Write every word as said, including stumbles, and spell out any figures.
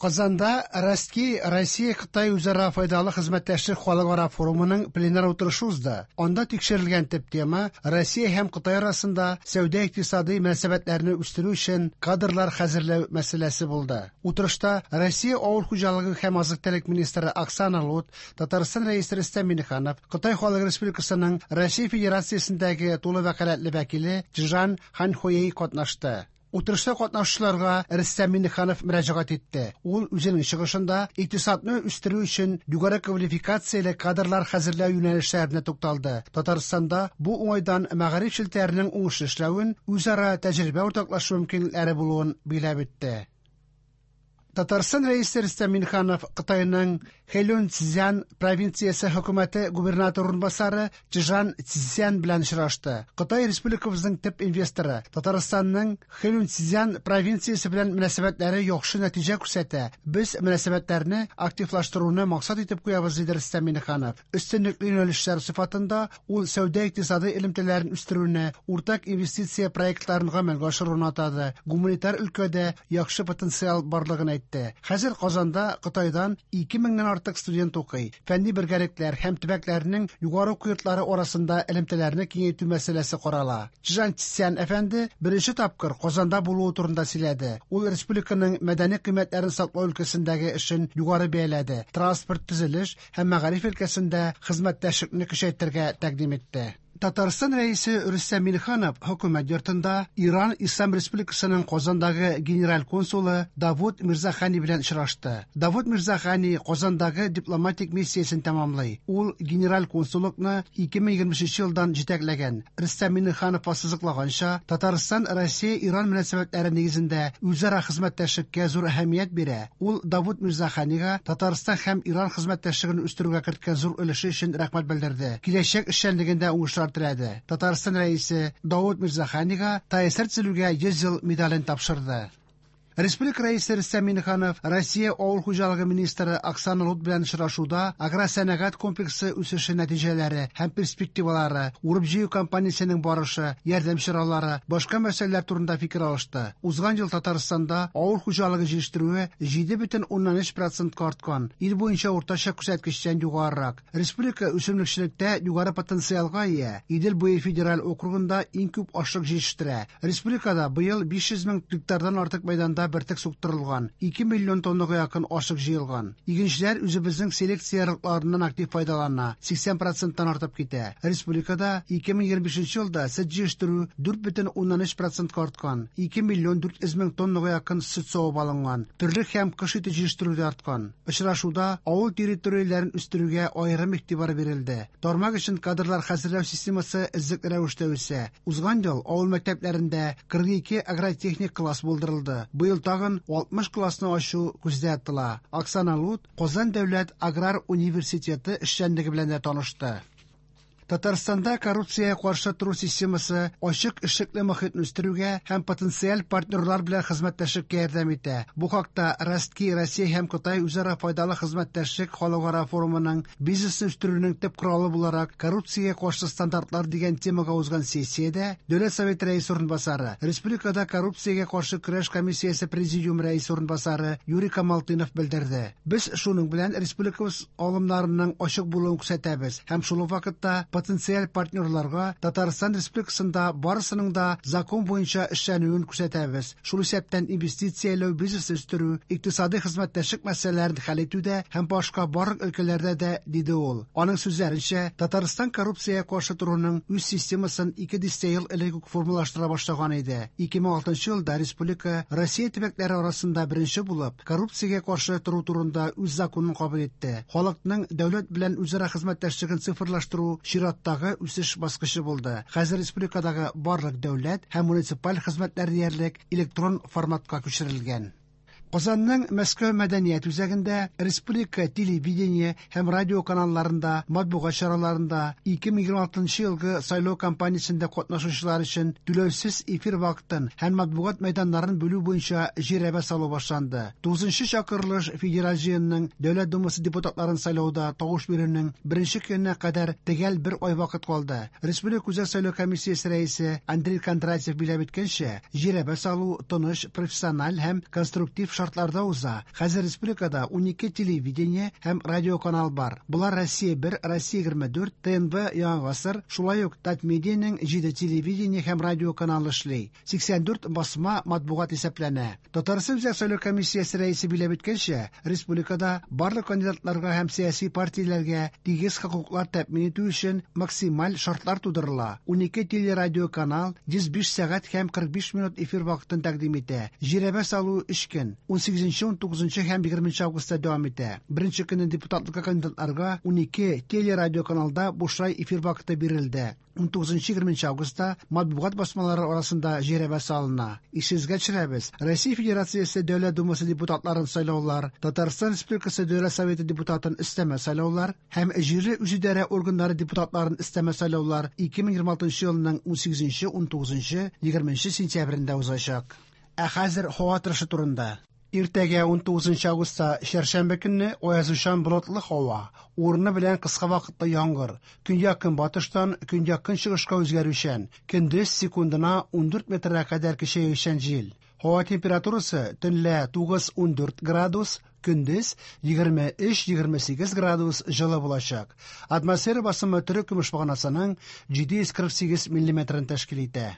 Казанда Ростки Россия-Кытай үзара файдалы хезмәттәшлек халыкара форумының пленар утырышы узды. Анда тикшерелгән төп тема Россия һәм Кытай арасында сәүдә-икътисади мөнәсәбәтләрне үстерү өчен кадрлар хәзерләү мәсьәләсе булды. Утырышта Россия авыл хуҗалыгы һәм азык-төлек министры Оксана Лут, Татарстан Рәисе Рөстәм Миңнеханов, Кытай Халык Республикасының Россия Федерациясендәге тулы вәкаләтле вәкиле Чжан Ханьхуэй катнашты. Утырышта катнашучыларга Рөстәм Миңнеханов мөрәҗәгать итте. Ул үзенең чыгышында икътисадны үстерү өчен югары квалификацияле кадрлар хәзерләү юнәлешләренә тукталды. Татарстанда бу уңайдан мәгариф челтәренең уңышлы эшләвен, үзара тәҗрибә уртаклашу мөмкинлекләре булуын билгеләп үтте. Татарстан Рәисе Рөстәм Миңнеханов Кытайның Хэйлунцзян провинциясе хөкүмәте губернаторы урынбасары Чжан Цзян белән очрашты. Кытай республикабызның төп инвесторы Татарстанның Хэйлунцзян провинциясе белән мөнәсәбәтләре яхшы нәтиҗә күрсәтә. Без мөнәсәбәтләрне активлаштыруны максат итеп куябыз, диде Рөстәм Миңнеханов. Өстенлекле юнәлешләр сыйфатында ул сәүдә-икътисади элемтәләрен үстерүне, уртак инвестиция проектларын гамәлгә ашыруны атады. Гуманитар өлкәдә яхшы потенциал барлыгын әйтте. Хәзер Казанда Кытайдан ике меңнән артык студент укый. Фәнни бергәлекләр һәм төбәкләрнең югары уку йортлары арасында элемтәләрне киңәйтү мәсьәләсе карала. Чжан Цзян әфәнде беренче тапкыр Казанда булуы турында сөйләде. Ул республиканың мәдәни кыйммәтләрен саклау өлкәсендәге эшен югары бәяләде. Транспорт, төзелеш һәм мәгариф өлкәсендә хезмәттәшлекне көчәйтергә тәкъдим итте. Татарстан Рәисе Рөстәм Миңнеханов хөкүмәт йортында Иран Ислам Республикасының Казандагы генераль консулы Давуд Мирзахани белән очрашты. Давуд Мирзахани Казандагы дипломатик миссиясен тәмамлый. Ул генераль консуллыкны ике мең егерме өченче елдан җитәкләгән. Рөстәм Миңнеханов ассызыклаганча, Татарстан Россия-Иран мөнәсәбәтләре нигезендә үзара хезмәттәшлеккә зур әһәмият бирә. Ул Давуд Мирзаханига Татарстан һәм Иран хезмәттәшлеген үстерүгә керткән зур өлеше өчен рәхмәт белдерде. Киләчәк эшчәнлегендә уңышлар теләде. Татарстан Рәисе Давуд Мирзаханига ТАССР төзелүгә йөз ел медален тапшырды. Республика Рәисе Рөстәм Миңнеханов Россия авыл хуҗалыгы министры Оксана Лут белән очрашуда агросәнәгать комплексы үсеше нәтиҗәләре һәм перспективалары, урып-җыю кампаниясенең барышы, ярдәм чаралары, башка мәсьәләләр турында фикер алышты. Узган ел Татарстанда авыл хуҗалыгы җитештерүе җиде бөтен уннан өч процентка арткан, ил буенча уртача күрсәткечтән югарырак. Республика үсемлекчелектә югары потенциалга ия. Идел буе федераль округында иң күп ашлык җитештерә. Республикада быел биш йөз мең гектардан артык мәйданда бөртек суктырылган, ике миллион тоннага якын ашык җыелган. Игенчеләр үзебезнең селекция ярлыкларыннан актив файдалана, сиксән проценттан артып китә. Республикада ике мең егерме бишенче елда сөт җитештерү дүрт бөтен уннан өч процентка арткан, ике миллион дүрт йөз мең тоннага якын сөт савып алынган. Терлек һәм кош ите җитештерү дә арткан. Очрашуда авыл территорияләрен үстерүгә аерым игътибар бирелде. Тармак өчен кадрлар хәзерләү системасы эзлекле рәвештә үсә. Узган ел авыл мәктәпләрендә кырык ике агротехник класс булдырылды. Быел тагын алтмыш классны ачу күздә тотыла. Оксана Лут Казан дәүләт аграр университеты эшчәнлеге белән дә танышты. Татарстанда коррупциягә каршы тору системасы ачык эшлекле мохитне үстерүгә һәм потенциаль партнерлар белән хезмәттәшлеккә ярдәм итә. Бу хакта Ростки Россия һәм Кытай үзара файдалы хезмәттәшлек халыкара форумының бизнесны үстерүнең төп коралы буларак коррупциягә каршы стандартлар дигән темага узган сессиядә Дәүләт Советы рәисе урынбасары, Республикада коррупциягә каршы көрәш комиссиясе президиум рәисе урынбасары Юрий Камалтынов белдерде. Без шуның белән республикабыз алымнарының ачык булуын күрсәтәбез һәм шул ук вакытта потенциаль партнерларга Татарстан Республикасында барысының да закон буенча эшләнүен күрсәтәбез. Шул исәптән инвестицияләү, бизнес үстерү, икътисади хезмәттәшлек мәсьәләләрен хәл итүдә һәм башка барлык өлкәләрдә дә, диде ул. Аның сүзләренчә, Татарстан коррупциягә каршы торуның үз системасын ике дистә ел элек үк формалаштыра башлаган иде. Ике мең алтынчы елда республика Россия төбәкләре арасында беренче булып коррупциягә каршы тору турында үз законын кабул итте. Халыкның дәүләт белән үзара хезмәттәшлеген цифрлаштыру чираттагы үсеш баскычы булды. Хәзер республикадагы барлык дәүләт һәм муниципаль хезмәтләр диярлек электрон форматка күчерелгән. Казанның Мәскәү мәдәният үзәгендә республика телевидение һәм радио каналларында, матбугат чараларында ике мең егерме алтынчы елгы сайлау кампаниясендә катнашучылар өчен түләүсез эфир вакытын һәм матбугат мәйданнарын бүлү буенча жирәбә салу башланды. Тугызынчы чакырылыш Федераль җыенның Дәүләт Думасы депутатларын сайлауда тавыш бирүнең беренче көненә кадәр төгәл бер ай вакыт калды. Республика Үзәк сайлау комиссиясе рәисе Андрей Кондратьев билгеләп үткәнчә, жирәбә салу тыныч, профессиональ һәм конструктив шартларда уза. Хәзер республикада унике телевидение һәм радиоканал бар. Болар Россия бер, Россия егерме дүрт, Т Н В, Яңа гасыр, шулай ук Татмедианың җиде телевидение һәм радиоканалы эшли. Сиксән дүрт басма матбугат исәпләнә. Татарстан Үзәк сайлау комиссиясе рәисе билгеләп үткәнчә, республикада барлык кандидатларга һәм сәяси партияләргә тигез хокуклар тәэмин итү өчен максималь шартлар тудырыла. Унике телерадиоканал йөз биш сәгать һәм кырык биш минут эфир вакытын тәкъдим итә. Жирәбә салу өч көн, ун сигезенче, ун тугызынчы һәм егерменче августта дәвам итә. Беренче көнне депутатлыкка кандидатларга унике телерадиоканалда бушлай эфир вакыты бирелде. Ун тугызынчы, егерменче августта матбугат басмалары арасында жирәбә салына. Исегезгә төшерәбез, Россия Федерациясе Дәүләт Думасы депутатларын сайлаулар, Татарстан Республикасы Дәүләт Советы депутатын өстәмә сайлаулар һәм җирле үзидарә органнары депутатларын өстәмә сайлаулар ике мең егерме алтынчы елның ун сигезенче, ун тугызынчы, егерменче сентябрендә узачак. Ә хәзер һава торышы турында. Иртәгә ун тугызынчы августта чәршәмбе көнне аязучан болытлы һава, урыны белән кыска вакытлы яңгыр, көньяк-көнбатыштан көньяк-көнчыгышка үзгәрүчән, көндез секундына ун дүрт метрга кадәр көчәючән җил. Һава температурасы төнлә тугыз-ун дүрт градус, көндез егерме өч-егерме сигез градус җылы булачак. Атмосфера басымы төрек көмеш баганасының җиде йөз кырык сигез миллиметрын тәшкил итә.